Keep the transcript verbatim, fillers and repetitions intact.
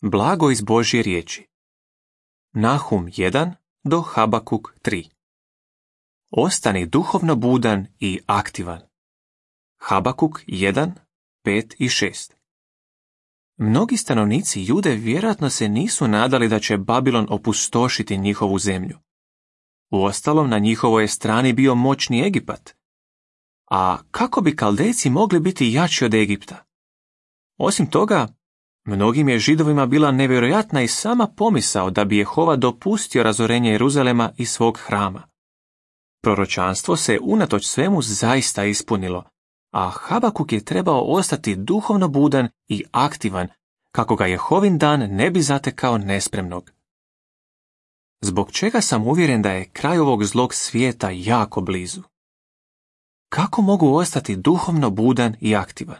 Blago iz Božje riječi. Nahum jedan do Habakuk tri. Ostani duhovno budan i aktivan. Habakuk jedan, pet i šest. Mnogi stanovnici Jude vjerojatno se nisu nadali da će Babilon opustošiti njihovu zemlju. Uostalom, na njihovoj je strani bio moćni Egipat. A kako bi Kaldejci mogli biti jači od Egipta? Osim toga, mnogim je Židovima bila nevjerojatna i sama pomisao da bi Jehova dopustio razorenje Jeruzalema i svog hrama. Proročanstvo se unatoč svemu zaista ispunilo, a Habakuk je trebao ostati duhovno budan i aktivan, kako ga Jehovin dan ne bi zatekao nespremnog. Zbog čega sam uvjeren da je kraj ovog zlog svijeta jako blizu? Kako mogu ostati duhovno budan i aktivan?